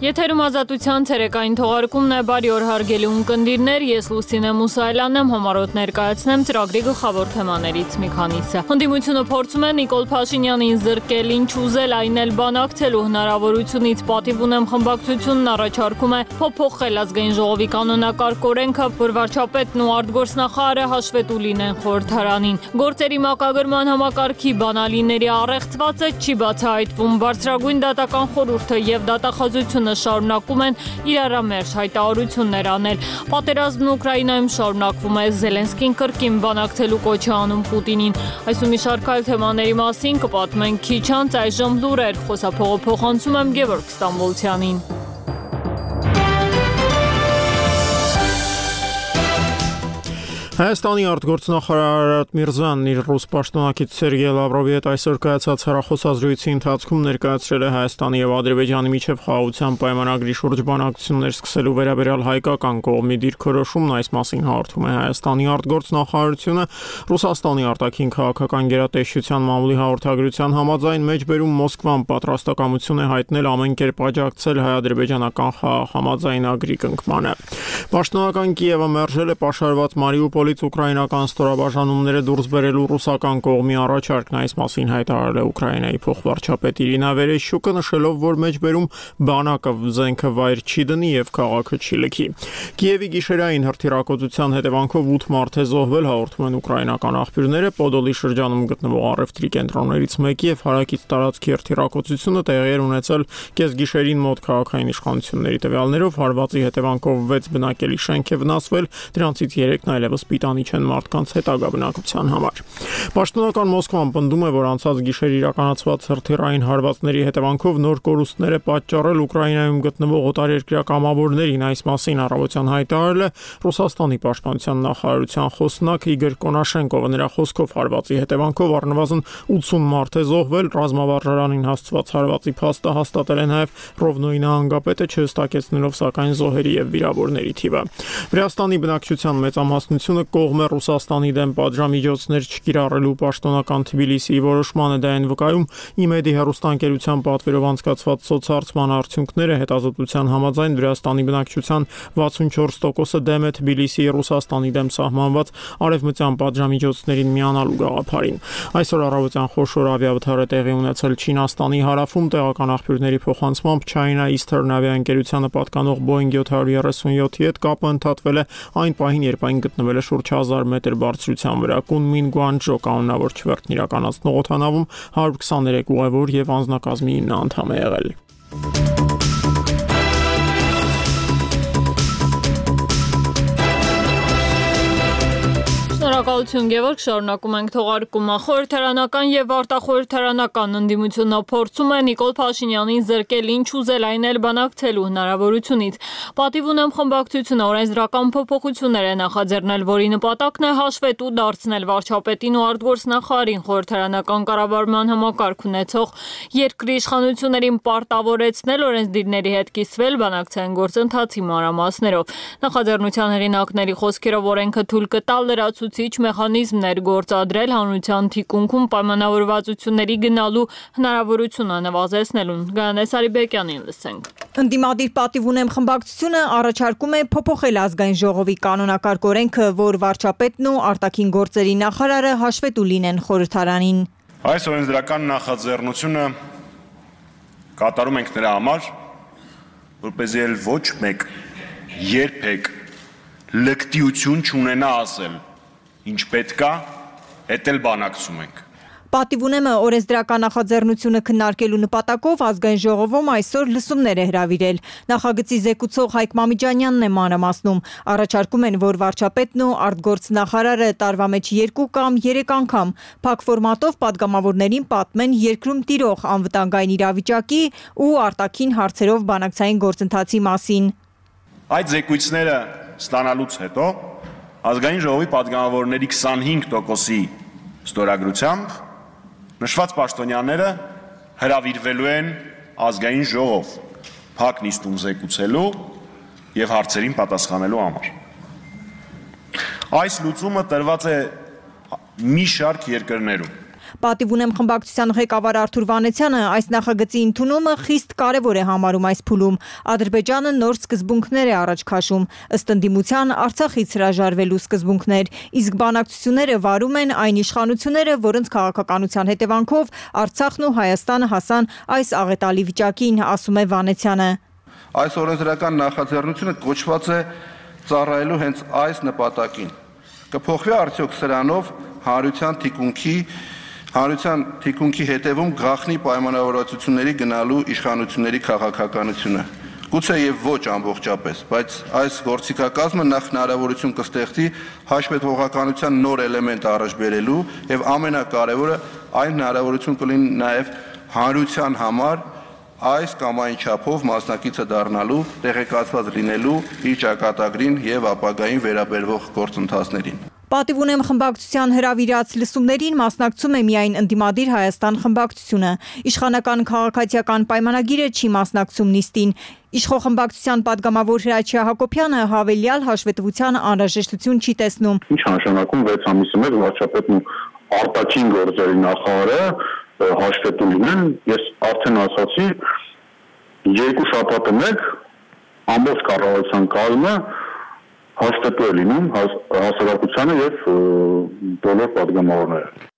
Եթերում ազատության ցերեկային թողարկումն է, բարի օր հարգելի ունկնդիրներ, ես Լուսինե Մուսայելյանն եմ, համառոտ ներկայացնեմ ծրագրի գլխավոր թեմաներից մի քանիսը։ Հանդիմությունը փորձում է Նիկոլ Փաշինյանին զրկել, ինչ ուզել, այն էլ բանակցելու հնարավորությունից, պատիվ ունեմ խմբակցությունն առաջարկում է փոփոխել ազգային ժողովի կանոնակարգ օրենքը, որ վարչապետն ու արտգործնախարարը հաշվետու լինեն խորհրդարանին։ Գործերի մակագրման համակարգի բանալիների առեղծվածը չի բացահայտվում, բարձրագույն դատական խորհուրդը եւ դատախազությունը շարունակում են իրարամերժ հայտարարություններ անել։ Պատերազմն Ուկրաինայում շարունակվում է, Զելենսկին կրկին բանակցելու կոչ է անում Պուտինին։ Այսօր մի շարք այլ թեմաների մասին կպատմենք քիչ անց, այժմ լուրեր, խոսափողը փոխանցում եմ Գևորգ Ստամբոլցյանին։ Հայաստանի արտգործնախարար Արարատ Միրզոյանն իր ռուս պաշտոնակից Սերգեյ Լավրովի հետ այսօր կայացած հեռախոսազրույցի ընթացքում ներկայացրել է Հայաստանի եւ Ադրբեջանի միջև խաղաղության պայմանագրի շուրջ բանակցություններ սկսելու վերաբերյալ հայկական կողմի դիրքորոշումն, այս մասին հաղորդում է Հայաստանի արտգործնախարարությունը։ Ռուսաստանի արտաքին քաղաքական գերատեսչության մամուլի հաղորդագրության համաձայն մեջբերում Մոսկվան պատրաստակամություն է հայտնել ամեն կերպ աջակցել հայ-ադրբեջանական խաղաղ համաձայնագրի կնքմանը։ Պաշտոնական Կիևը մերժել է պաշարված Մարիուպոլի ուկրաինական ստորաբաժանումները դուրս բերելու ռուսական կողմի առաջարկն, այս մասին հայտարարել է Ուկրաինայի փոխվարչապետ Իրինա Վերեշյուկը, նշելով, որ մեջբերում բանակը զենքը վայր չի դնի եւ քաղաքը չի լքի։ Կիևի գիշերային հրթիռակոծության հետևանքով 8 մարդ է զոհվել, հաղորդում են ուկրաինական աղբյուրները։ Պոդոլի շրջանում գտնվող առևտրի կենտրոններից մեկի եւ հարակից տարածքի հրթիռակոծությունը տեղի էր ունեցել կեսգիշերին մոտ քաղաքային իշխանությունների տվյալներով, հարվածի հետևանքով 6 բնակելի շենք է վնասվել, դրանցից 3-ն այլևս պիտանի չեն մարդկանց հետագա բնակության համար։ Պաշտոնական Մոսկվան պնդում է, որ անցած գիշեր իրականացված հրթիռային հարվածների հետևանքով նոր կորուստներ է պատճառել Ուկրաինայում գտնվող օտարերկրյա կամավորներին, այս մասին առավոտյան հայտարարել է Ռուսաստանի պաշտպանության նախարարության խոսնակ Իգոր Կոնաշենկովը։ Նրա խոսքով հարվածի հետևանքով առնվազն 80 մարդ է զոհվել, ռազմավարժարանին հասցված հարվածի փաստը հաստատել է նաև Ռովնոյի նահանգապետը, չհստակեցնելով սակայն զոհերի եւ վիրավորների թիվը։ Վրաստանի բնակչության մեծամասնությունը կողմ է Ռուսաստանի դեմ պատժամիջոցներ չկիրառելու պաշտոնական Թբիլիսիի որոշմանը, դա են վկայում ԻՄԵԴ-ի հեռուստաընկերության պատվերով անցկացված սոցհարցման արդյունքները։ Հետազոտության համաձայն Վրաստանի բնակչության 64%-ը դեմ է Թբիլիսիի Ռուսաստանի դեմ սահմանված արևմտյան պատժամիջոցներին միանալու գաղափարին։ Այսօր առավոտյան խոշոր ավիավթար է տեղի ունեցել Չինաստանի հարավում, տեղական աղբյուրների փոխանցմամբ China Eastern ավիաընկերությանը պատկանող Boeing 737-ի հետ կապը ընդհատվել է այն պահին, երբ այն գտնվել է շուրջ 1000 մետր բարձրության վրա։ Կունմին Գուանջո կանոնավոր չվերթն իրականացնող օդանավում 123 ուղևոր եւ անձնակազմի 9 անդամ է եղել։ Շնորհակալություն Գևորգ, շարունակում ենք թողարկումը։ Խորհրդարանական եւ արտախորհրդարանական ընդդիմությունը փորձում է Նիկոլ Փաշինյանին զրկել, ինչ ուզել, այն էլ բանակցելու հնարավորությունից։ Պատիվ ունեմ խմբակցությունը օրենսդրական փոփոխություններ է նախաձեռնել, որի նպատակն է հաշվետու դարձնել վարչապետին ու արտգործնախարարին, խորհրդարանական կառավարման համակարգ ունեցող երկրի իշխանություններին պարտավորեցնել օրենսդիրների հետ կիսվել բանակցային գործընթացի մանրամասներով։ Նախաձեռնության հեղինակների խոսքերով օրենքը թույլ կտա լրացուցիչ մեխանիզմներ գործադրել հանրության թիկունքում պայմանավորվածությունների գնալու հնարավորությունը նվազեցնելուն։ Գայանե Սարիբեկյանին լսենք։ Ընդդիմադիր պատիվ ունեմ խմբակցությունը առաջարկում է փոփոխել ազգային ժողովի կանոնակարգ օրենքը, որ վարչապետն ու արտաքին գործերի նախարարը հաշվետու լինեն խորհրդարանին։ Այս օրենսդրական նախաձեռնությունը կատարում ենք նրա համար, որպեսզի էլ ոչ մեկ երբեք լկտիություն չունենա ասել, ինչ պետք է, հետ էլ բանակցում ենք։ Պատիվ ունեմը օրենսդրական նախաձեռնությունը քննարկելու նպատակով ազգային ժողովում այսօր լսումներ է հրավիրել։ Նախագծի զեկուցող Հայկ Մամիջանյանն է մանրամասնում։ Առաջարկում են, որ վարչապետն ու արտգործնախարարը տարվա մեջ 2 կամ 3 անգամ փակ ֆորմատով падգամավորներին պատմեն երկրում տիրող անվտանգային իրավիճակի ու արտաքին հարցերով բանակցային գործընթացի մասին։ Այդ զեկույցները ստանալուց հետո ազգային ժողովի падգամավորների 25%-ի ստորագրությամբ նշված պաշտոնյաները հրավիրվելու են ազգային ժողով փակ նիստում զեկուցելու եւ հարցերին պատասխանելու համար։ Այս լուծումը տրված է մի շարք երկրներում։ Պատիվ ունեմ խմբակցության ղեկավար Արթուր Վանեցյանը այս նախագծի ընդունումը խիստ կարևոր է համարում այս փուլում։ Ադրբեջանը նոր սկզբունքներ է առաջ քաշում, ըստ ընդդիմության Արցախից հրաժարվելու սկզբունքներ, իսկ բանակցությունները վարում են այն իշխանությունները, որոնց քաղաքականության հետևանքով Արցախն ու Հայաստանը հասան այս աղետալի վիճակին, ասում է Վանեցյանը։ Այս օրենսդրական նախաձեռնությունը կոչված է ծառայելու հենց այս նպատակին։ Կփոխվի արդյոք սրանով հանրության թիկունքի հետևում գաղտնի պայմանավորվածությունների գնալու իշխանությունների քաղաքականությունը։ Գուցե եւ ոչ ամբողջապես, բայց այս գործիքակազմը նախ հնարավորություն կստեղծի հաշվետվողականության նոր էլեմենտ առաջ բերելու եւ ամենակարևորը այն հնարավորություն կլինի նաեւ հանրության համար այս կամ այն չափով մասնակիցը դառնալու, տեղեկացված լինելու իր ճակատագրին եւ ապագային վերաբերվող գործընթացներին։ Պատիվ ունեմ խմբակցության հրավիրած լսումներին մասնակցում է միայն ընդդիմադիր Հայաստան խմբակցությունը։ Իշխանական քաղաքացիական պայմանագիրը չի մասնակցում նիստին։ Իշխող խմբակցության падգամավոր Հրաչյա Հակոբյանը հավելյալ հաշվետվության անհրաժեշտություն չի տեսնում։ Ինչ նշանակում 6 ամիսի մեջ վարչապետն ու արտաքին գործերի նախարարը հաշվետու լինեն, ես արդեն ասացի, 2 շաբաթը մեկ ամբողջ կառավարության կազմը հաշվետու է լինում հասարակությանը եւ բոլոր պատգամավորները։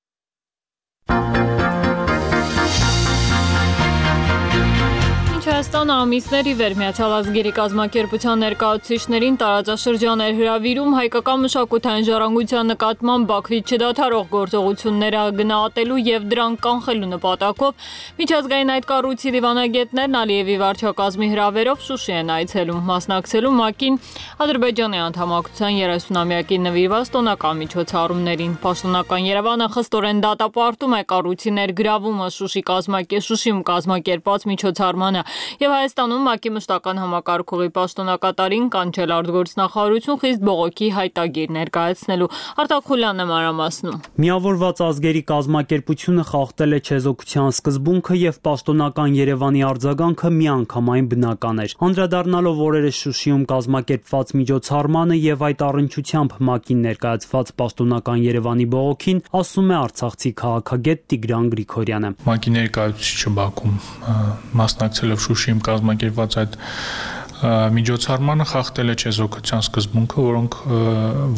Հայաստանը ամիսների վեր Միացյալ ազգերի կազմակերպության ներկայացուցիչներին տարածաշրջան էր հրավիրում հայկական մշակութային ժառանգության նկատմամբ Բաքվից չդադարող գործողությունները գնահատելու եւ դրանք կանխելու նպատակով միջազգային այդ կառույցի դիվանագետներն Ալիևի վարչակազմի հրավերով Շուշի են այցելում, մասնակցելու ՄԱԿ-ին Ադրբեջանի անդամակցության 30-ամյակին նվիրված տոնական միջոցառումներին։ Պաշտոնական Երևանը խստորեն դատապարտում է կառույցի ներգրավումը Շուշիում կազմակերպված միջոցառմանը եւ Հայաստանում ՄԱԿ-ի մշտական համակարգողի պաշտոնակատարին կանչել արտգործնախարարություն խիստ բողոքի հայտագիր ներկայացնելու։ Արտակ Խուլյանն է մանրամասնում։ Միավորված ազգերի կազմակերպությունը խախտել է չեզոքության սկզբունքը եւ պաշտոնական Երևանի արձագանքը միանգամայն բնական էր։ Անդրադառնալով օրերս Շուշիում կազմակերպված միջոցառմանը եւ այդ առնչությամբ ՄԱԿ-ին ներկայացված պաշտոնական Երևանի բողոքին, ասում է արցախցի քաղաքագետ Տիգրան Գրիգորյանը։ ՄԱԿ-ի ներկայացուցիչը Բաքվում մասնակցելով Շուշիում կազմակերպված այդ միջոցառմանը խախտել է չեզոքության սկզբունքը,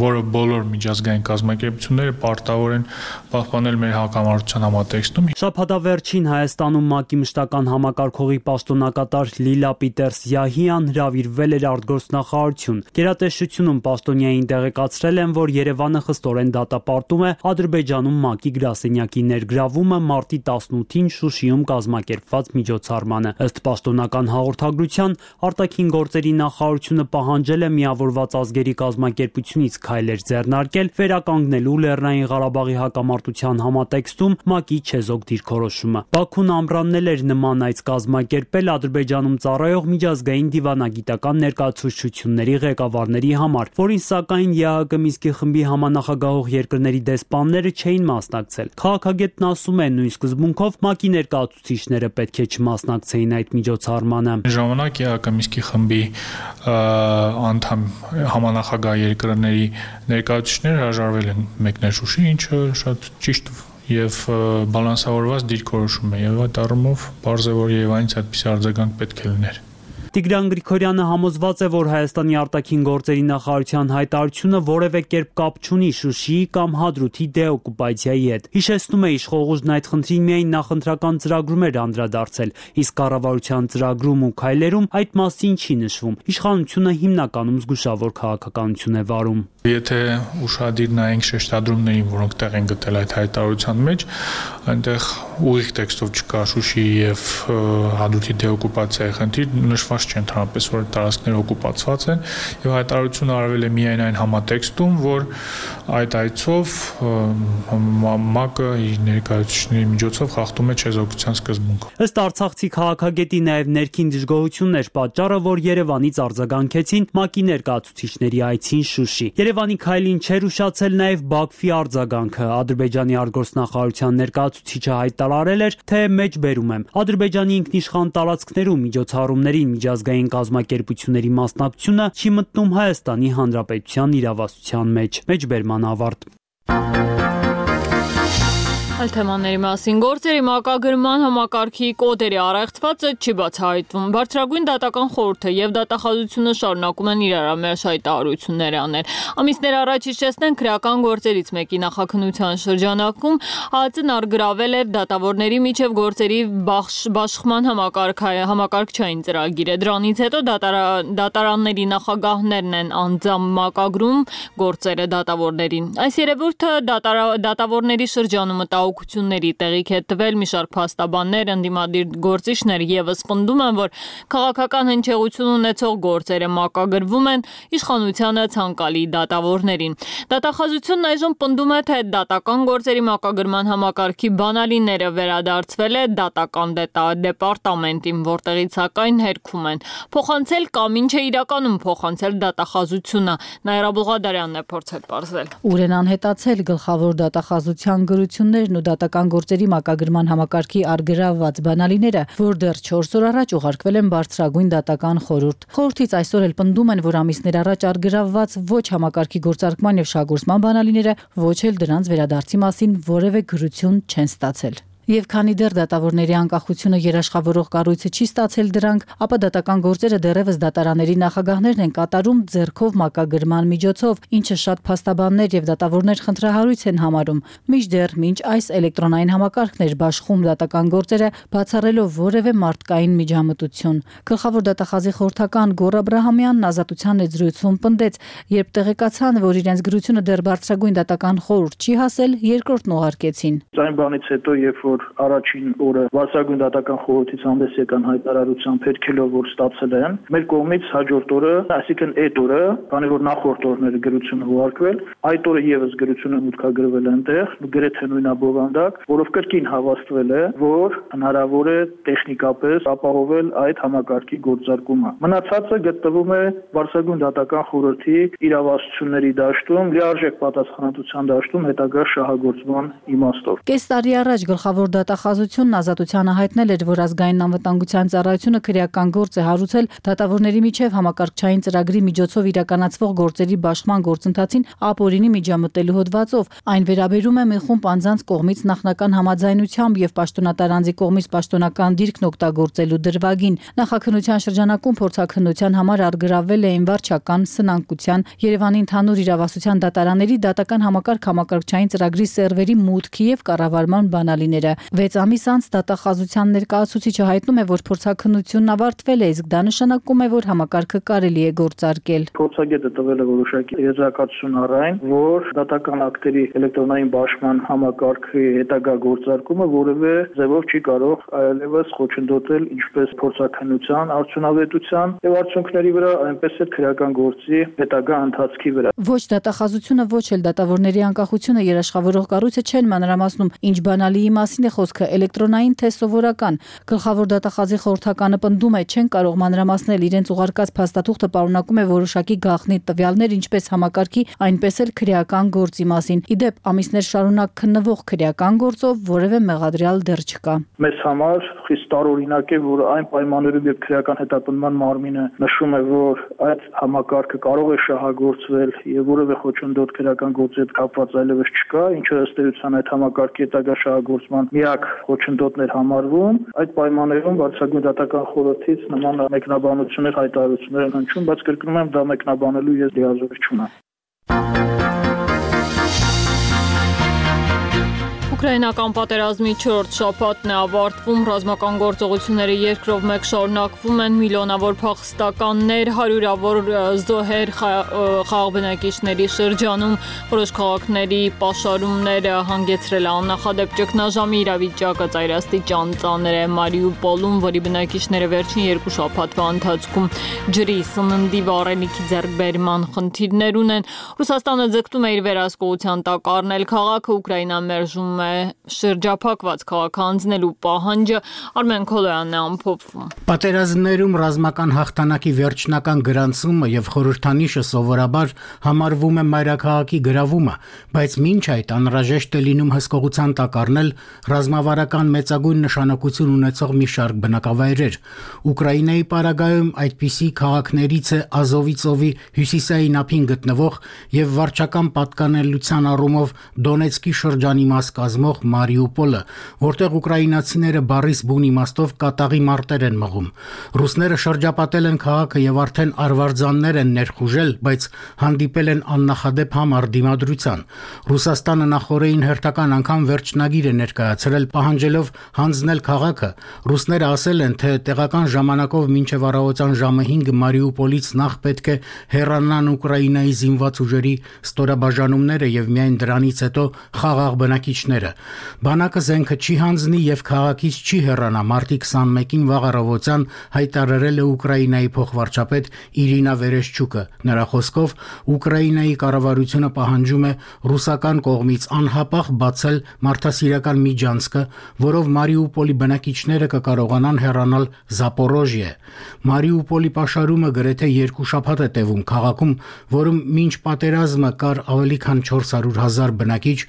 որը բոլոր միջազգային կազմակերպությունները պարտավոր են պահպանել մեր հակամարտության համատեքստում։ Շաբաթավերջին Հայաստանում ՄԱԿ-ի մշտական համակարգողի պաշտոնակատար Լիլա Պիտերս-Յահիան հրավիրվել էր արտգործնախարարություն։ Գերատեսչությունում պաշտոնյային տեղեկացրել են, որ Երևանը խստորեն դատապարտում է Ադրբեջանում ՄԱԿ-ի գրասենյակի ներգրավումը մարտի 18-ին Շուշիում կազմակերպված միջոցառմանը։ Ըստ պաշտոնական հաղորդագրության արտաքին գործերի նախարարությունը պահանջել է Միավորված ազգերի կազմակերպությունից քայլեր ձեռնարկել վերականգնելու Լեռնային Ղարաբաղի հակամարտության համատեքստում ՄԱԿ-ի չեզոք դիրքորոշումը։ Բաքուն ամրաննել էր նման այց կազմակերպել Ադրբեջանում ծառայող միջազգային դիվանագիտական ներկայացուցչությունների ղեկավարների համար, որին սակայն ԵԱՀԿ Մինսկի խմբի համանախագահող երկրների դեսպանները չէին մասնակցել։ Քաղաքագետն ասում է, նույն սկզբունքով ՄԱԿ-ի ներկայացուցիչները պետք է չմասնակցեին այդ միջոցառմանը։ Ժամանակ ԵԱՀԿ Մինսկի խմբի անդամ համանախագահ երկրների ներկայացուցիչները հրաժարվել են մեկնել Շուշի, ինչը շատ ճիշտ եւ բալանսավորված դիրքորոշում է եւ այդ առումով բարձր է, որ Երևանից այդպիսի արձագանք պետք է լիներ։ Տիգրան Գրիգորյանը համոզված է, որ Հայաստանի արտաքին գործերի նախարարության հայտարարությունը որևէ կերպ կապ չունի Շուշիի կամ Հադրութի դեօկուպացիայի հետ։ Հիշեցնում է, իշխող ուժն այդ խնդրին միայն նախընտրական ծրագրում էր անդրադարձել, իսկ կառավարության ծրագրում ու քայլերում այդ մասին չի նշվում։ Իշխանությունը հիմնականում զգուշավոր քաղաքականություն է վարում։ Եթե ուշադիր նայենք շեշտադրումներին, որոնք տեղ են գտել այդ հայտարարության մեջ, այնտեղ ուղիղ տեքստով չկա Շուշիի եւ Հադրութի դեօկուպացիայի խնդիր, նշված չի ընդհանրապես, որ տարածքները օկուպացված են, եւ հայտարարությունը արվել է միայն այն համատեքստում, որ այդ այցով ՄԱԿ-ը իր ներկայացուցիչների միջոցով խախտում է չեզոքության սկզբունքը։ Ըստ արցախցի քաղաքագետի նաեւ ներքին դժգոհությունն էր պատճառը, որ Երևանից արձագանքեցին ՄԱԿ-ի ներկայացուցիչների այցին Շուշի։ Երևանի քայլին չէր ուշացել նաեւ Բաքվի արձագանքը։ Ադրբեջանի արտգործնախարարության ներկայացուցիչը հայտարարել էր, թե մեջբերում եմ Ադրբեջանի ինքնիշխան տարածքներում միջոցառումներին միջազգային կազմակերպությունների մասնակցությունը չի մտնում Հայաստանի Հանրապետության իրավասության մեջ։ Մեջբերման ավարտ։ Այլ թեմաների մասին գործերի մակագրման համակարգի կոդերի առեղծվածը չի բացահայտվում։ Բարձրագույն դատական խորհուրդը եւ դատախազությունը շարունակում են իրար ամերաշ հայտարարություններ անել։ Ամիսներ առաջ հիշեցնենք քրեական գործերից մեկի նախաքննության շրջանակում ԱԱԾ-ն արգրավել էր դատավորների միջև գործերի բաշխման համակարգչային ծրագիրը։ Դրանից հետո դատարանների նախագահներն են անձամբ մակագրում գործերը դատավորներին։ Այս երևույթը դատավորների շրջանում մտահոգությունների տեղիք է տվել մի շարք փաստաբաններ, ընդդիմադիր գործիչներ եւս պնդում են, որ քաղաքական հնչեղություն ունեցող գործերը մակագրվում են իշխանությանը ցանկալի դատավորներին։ Դատախազությունն այժմ պնդում է, թե դատական գործերի մակագրման համակարգի բանալիները վերադարձվել է դատական դեպարտամենտին, որտեղից սակայն հերքում են փոխանցել կամ ինչ է իրականում փոխանցել դատախազությունը։ Նաիրա Բուղադարյանն է փորձել պարզել։ Ուր են անհետացել գլխավոր դատախազության գրություններն ու դատական գործերի մակագրման համակարգի արգրավված բանալիները, որ դեռ 4 օր առաջ ուղարկվել են բարձրագույն դատական խորհուրդ։ Խորհրդից այսօր էլ պնդում են, որ ամիսներ առաջ արգրավված ոչ համակարգի գործարկման եւ շահգործման բանալիները ոչ էլ դրանց վերադարձի մասին որևէ գրություն չեն ստացել։ Եվ քանի դեռ դատավորների անկախությունը երաշխավորող կառույցը չի ստացել դրանք, ապա դատական գործերը դեռևս դատարանների նախագահներն են կատարում ձեռքով մակագրման միջոցով, ինչը շատ փաստաբաններ եւ դատավորներ խնդրահարույց են համարում։ Մինչդեռ մինչ այս էլեկտրոնային համակարգն էր բաշխում դատական գործերը, բացառելով որևէ մարդկային միջամտություն։ Գլխավոր դատախազի խորհրդական Գոռ Աբրահամյանն Ազատության զրույցում պնդեց, երբ տեղեկացան, որ իրենց գրությունը դեռ բարձրագույն դատական խորհուրդ չի հասել, երկրորդն ուղարկեցին։ Այն բանից հետո, երբ որ առաջին օրը բարձրագույն դատական խորհրդից հանդես եկան հայտարարությամբ հերքելով, որ ստացել են, մեր կողմից հաջորդ օրը, այսինքն այդ օրը, քանի որ նախորդ օրները գրությունը ուղարկվել, այդ օրը եւս գրությունը մուտքագրվել այնտեղ, գրեթե նույնաբովանդակ, որով կրկին հավաստվել է, որ հնարավոր է տեխնիկապես ապահովել այդ համակարգի գործարկումը։ Մնացածը գտնվում է բարձրագույն դատական խորհրդի իրավասությունների դաշտում, լիարժեք պատասխանատվության դաշտում հետագա շահագործման իմաստով։ Կես տարի առաջ գլխավոր դատախազությունն Ազատությանը հայտնել էր, որ ազգային անվտանգության ծառայությունը քրեական գործ է հարուցել դատավորների միջև համակարգչային ծրագրի միջոցով իրականացվող գործերի բաշխման գործընթացին ապօրինի միջամտելու հոդվածով։ Այն վերաբերում է մի խումբ անձանց կողմից նախնական համաձայնությամբ եւ պաշտոնատար անձի կողմից պաշտոնական դիրքն օգտագործելու դրվագին։ Նախաքննության շրջանակում փորձաքննության համար արգրավել էին վարչական, սնանկության, Երևանի ընդհանուր իրավասության դատարանների դատական համակարգչային ծրագրի սերվերի մուտքի եւ կառավարման բանալիները։ 6 ամիս անց դատախազության ներկայացուցիչը հայտնում է, որ փորձաքննությունն ավարտվել է, իսկ դա նշանակում է, որ համակարգը կարելի է գործարկել։ Փորձագետը տվել է որոշակի եզրակացություն առայն, որ դատական ակտերի էլեկտրոնային բաշխման համակարգի հետագա գործարկումը որևէ ձևով չի կարող այլևս խոչընդոտել ինչպես փորձաքննության արդյունավետության եւ արդյունքների վրա, այնպես էլ քրեական գործի հետագա ընթացքի վրա։ Ոչ դատախազությունը, ոչ էլ դատավորների անկախությունը երաշխավորող կառույցը չեն մանրամասնում, ինչ բանալիի մասին է խոսքը, էլեկտրոնային թե սովորական։ Գլխավոր դատախազի խորհրդականը պնդում է, չեն կարող մանրամասնել, իրենց ուղարկած փաստաթուղթը պարունակում է որոշակի գաղտնի տվյալներ, ինչպես համակարգի, այնպես էլ քրեական գործի մասին։ Իդեպ, ամիսներ շարունակ քննվող քրեական գործով որևէ մեղադրյալ դեռ չկա։ Մեզ համար խիստ տարօրինակ է, որ այն պայմաններում, երբ քրեական հետապնդման մարմինը նշում է, որ այդ համակարգը կարող է շահագործվել եւ որևէ խոչընդոտ քրեական գործի հետ կապված այլևս չկա, ինչը ըստ էության այդ համակարգի հետագա շահագործման միակ խոչընդոտներ համարվում, այդ պայմաններում բարձրագույն դատական խորհրդից նման մեկնաբանություններ, հայտարարություններ են հնչում, բայց կրկնում եմ, դա մեկնաբանելու ես լիազորություն չունեմ։ Ուկրաինական պատերազմի 4-րդ շաբաթն է ավարտվում, ռազմական գործողությունները երկրով մեկ շարունակվում են, միլիոնավոր փախստականներ, հարյուրավոր զոհեր խաղաղ բնակիչների շրջանում, որոշ քաղաքների պաշարումները հանգեցրել է աննախադեպ ճգնաժամի իրավիճակը ծայրաստիճան ծանր է Մարիուպոլում, որի բնակիչները վերջին 2 շաբաթվա ընթացքում ջրի, սննդի, վառելիքի ձեռքբերման խնդիրներ ունեն։ Ռուսաստանը ձգտում է իր վերահսկողության տակ առնել քաղաքը, Ուկրաինան մերժում է շրջափակված քաղաք հանձնելու պահանջը։ Արմեն Քոլոյանն է ամփոփում։ Պատերազմներում ռազմական հաղթանակի վերջնական գրանցումը եւ խորհրդանիշը սովորաբար համարվում է մայրաքաղաքի գրավումը, բայց մինչ այդ անհրաժեշտ է լինում հսկողության տակ առնել ռազմավարական մեծագույն նշանակություն ունեցող մի շարք բնակավայրեր։ Ուկրաինայի պարագայում այդպիսի քաղաքներից է Ազովի ծովի հյուսիսային ափին գտնվող եւ վարչական պատկանելության առումով Դոնեցկի շրջանի մաս կազմող կազմող Մարիուպոլը, որտեղ ուկրաինացիները բառիս բուն իմաստով կատաղի մարտեր են մղում։ Ռուսները շրջապատել են քաղաքը եւ արդեն արվարձաններ են ներխուժել, բայց հանդիպել են աննախադեպ համառ դիմադրության։ Ռուսաստանը նախորդին հերթական անգամ վերջնագիր է ներկայացրել, պահանջելով հանձնել քաղաքը։ Ռուսները ասել են, թե տեղական ժամանակով մինչև առավոտյան ժամը 5 Մարիուպոլից նախ պետք է հեռանան Ուկրաինայի զինված ուժերի ստորաբաժանումները եւ միայն դրանից հետո խաղաղ բնակիչները։ Բանակը զենքը չի հանձնի եւ քաղաքից չի հեռանա, մարտի 21-ին վաղ առավոտյան հայտարարել է Ուկրաինայի փոխվարչապետ Իրինա Վերեշչուկը։ Նրա խոսքով Ուկրաինայի կառավարությունը պահանջում է ռուսական կողմից անհապաղ բացել մարդասիրական միջանցքը, որով Մարիուպոլի բնակիչները կկարողանան հեռանալ Զապորոժիե։ Մարիուպոլի պաշարումը գրեթե 2 շաբաթ է տևում քաղաքում, որում մինչ պատերազմը կար ավելի քան 400,000 բնակիչ,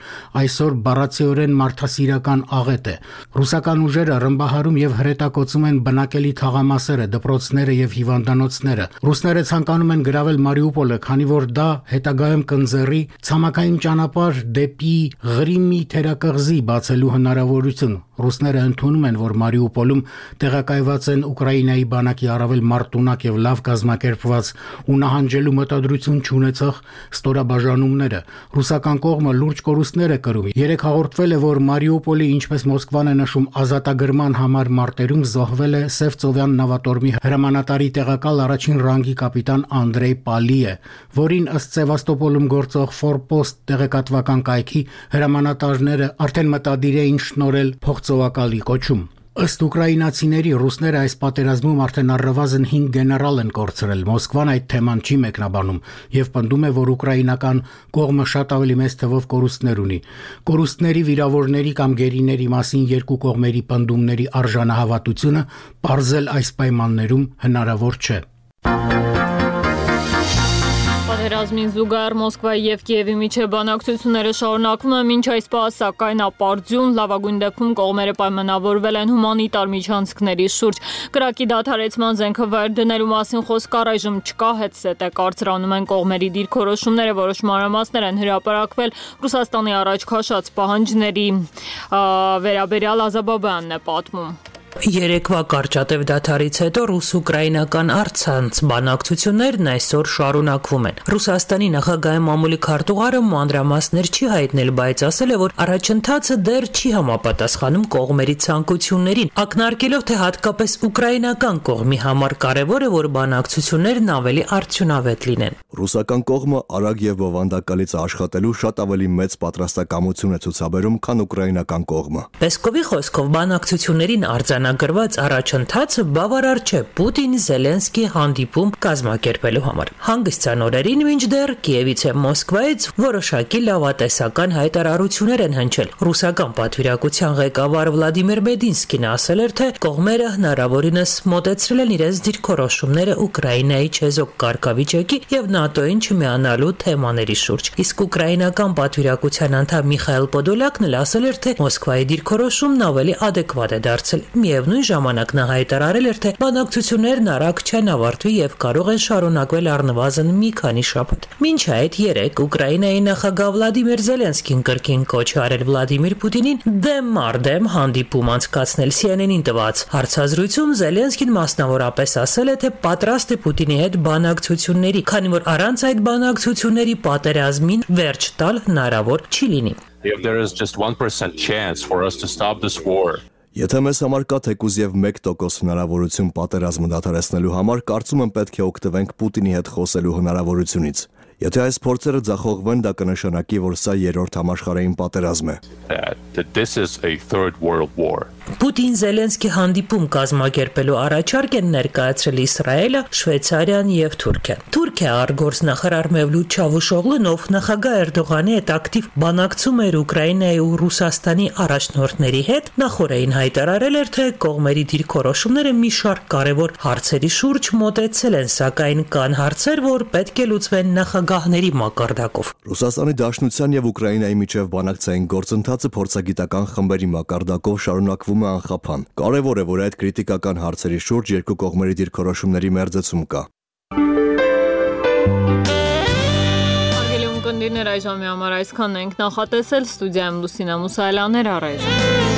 այսօր բառացիորեն մարդասիրական աղետ է։ Ռուսական ուժերը ռմբահարում եւ հրետակոծում են բնակելի թաղամասերը, դպրոցները եւ հիվանդանոցները։ Ռուսները ցանկանում են գրավել Մարիուպոլը, քանի որ դա հետագայում կընձեռի ցամաքային ճանապարհ դեպի Ղրիմի թերակղզի բացելու հնարավորություն։ Ռուսները ընդունում են, որ Մարիուպոլում տեղակայված են Ուկրաինայի բանակի առավել մարտունակ եւ լավ կազմակերպված ու նահանջելու մտադրություն չունեցող ստորաբաժանումները։ Ռուսական կողմը լուրջ կորուստներ է կրում։ Երեք հաղորդվել է, որ Մարիուպոլի, ինչպես Մոսկվան է նշում, ազատագրման համար մարտերում զոհվել է Սևծովյան նավատորմի հրամանատարի տեղակալ առաջին ռանգի կապիտան Անդրեյ Պալիը, որին ըստ Սևաստոպոլում գործող Ֆորպոստ տեղեկատվական կայքի հրամանատարները արդեն մտադիր էին շնորհել փոխծովակալի կոչում։ Ըստ ուկրաինացիների, ռուսները այս պատերազմում արդեն առնվազն 5 գեներալ են կորցրել։ Մոսկվան այդ թեման չի մեկնաբանում եւ պնդում է, որ ուկրաինական կողմը շատ ավելի մեծ թվով կորուստներ ունի։ Կորուստների, վիրավորների կամ գերիների մասին երկու կողմերի պնդումների արժանահավատությունը պարզել այս պայմաններում հնարավոր չէ։ Պատերազմին զուգահեռ Մոսկվայի եւ Կիևի միջև բանակցությունները շարունակվում են մինչ այս պահ, սակայն ապարդյուն լավագույն դեպքում կողմերը պայմանավորվել են հումանիտար միջանցքների շուրջ։ Կրակի դադարեցման զենքը վայր դնելու մասին խոսք առայժմ չկա, հետզհետե կարծրանում են կողմերի դիրքորոշումները, որոշ մանրամասներ են հրապարակվել Ռուսաստանի առաջ քաշած պահանջների վերաբերյալ Ազաբաբյանն է պատմում։ Երեկվա կարճատև դադարից հետո ռուս-ուկրաինական առցանց բանակցություններն այսօր շարունակվում են։ Ռուսաստանի նախագահի մամուլի քարտուղարը մանրամասներ չի հայտնել, բայց ասել է, որ առաջընթացը դեռ չի համապատասխանում կողմերի ցանկություններին, ակնարկելով, թե հատկապես ուկրաինական կողմի համար կարևոր է, որ բանակցություններն ավելի արդյունավետ լինեն։ Ռուսական կողմը արագ եւ բովանդակալից աշխատելու շատ ավելի մեծ պատրաստակամություն է ցուցաբերում, քան ուկրաինական կողմը։ Պեսկովի խոսքով բանակցություններին արձանագրված առաջընթացը բավարար չէ Պուտին-Զելենսկի հանդիպում կազմակերպելու համար։ Հանգստյան օրերին մինչդեռ Կիևից եւ Մոսկվայից որոշակի լավատեսական հայտարարություններ են հնչել։ Ռուսական պատվիրակության ղեկավար Վլադիմիր Մեդինսկին ասել էր, թե կողմերը հնարավորինս մոտեցրել են իրենց դիրքորոշումները Ուկրաինայի չեզոք կարգավիճակի եւ ՆԱՏՕ-ին չմիանալու թեմաների շուրջ։ Իսկ ուկրաինական պատվիրակության անդամ Միխայել Պոդոլյակն էլ ասել էր, թե Մոսկվայի դիրքորոշումն ավելի adekvat է դարձել։ Միևնույն ժամանակ նա հայտարարել էր, թե բանակցություններն արագ չեն ավարտվի եւ կարող են շարունակվել առնվազն մի քանի շաբաթ։ Մինչ այդ երեկ Ուկրաինայի նախագահ Վլադիմիր Զելենսկին կրկին կոչ է արել Վլադիմիր Պուտինին դեմ առ դեմ հանդիպում անցկացնել CNN-ին տված հարցազրույցում Զելենսկին մասնավորապես ասել է, թե պատրաստ է Պուտինի հետ բանակցությունների, քանի որ առանց այդ բանակցությունների պատերազմին վերջ տալ հնարավոր չի լինի։ If there is just 1% chance for us to stop this war. Եթե մեզ համար կա թեկուզ եւ 1% հնարավորություն պատերազմը դադարեցնելու համար, կարծում եմ պետք է օգտվենք Պուտինի հետ խոսելու հնարավորությունից։ Եթե այս փորձերը ձախողվեն, դա կնշանակի, որ սա երրորդ համաշխարհային պատերազմ է։ This is a third world war. Պուտին-Զելենսկի հանդիպում կազմակերպելու առաջարկ են ներկայացրել Իսրայելը, Շվեյցարիան եւ Թուրքիան։ Թուրքիա արտգործնախարար Մևլութ Չավուշօղլուն, ով նախագահ Էրդողանի հետ ակտիվ բանակցում էր Ուկրաինայի ու Ռուսաստանի առաջնորդների հետ, նախորդին հայտարարել էր, թե կողմերի դիրքորոշումները մի շարք կարևոր հարցերի շուրջ մոտեցել են, սակայն կան հարցեր, որ պետք է լուծվեն նախագահների մակարդակով։ Ռուսաստանի Դաշնության եւ Ուկրաինայի միջև բանակցային գործընթացը փորձագիտական խմբերի մակարդակով շարունակվում է անխափան։ Կարևոր է, որ այդ քրիտիկական հարցերի շուրջ երկու կողմերի դիրքորոշումների մերձեցում կա։ ունկնդիրներ այժմի համար այսքանն ենք նախատեսել, ստուդիայում Լուսինա Մուսայելյաներ առայժմ։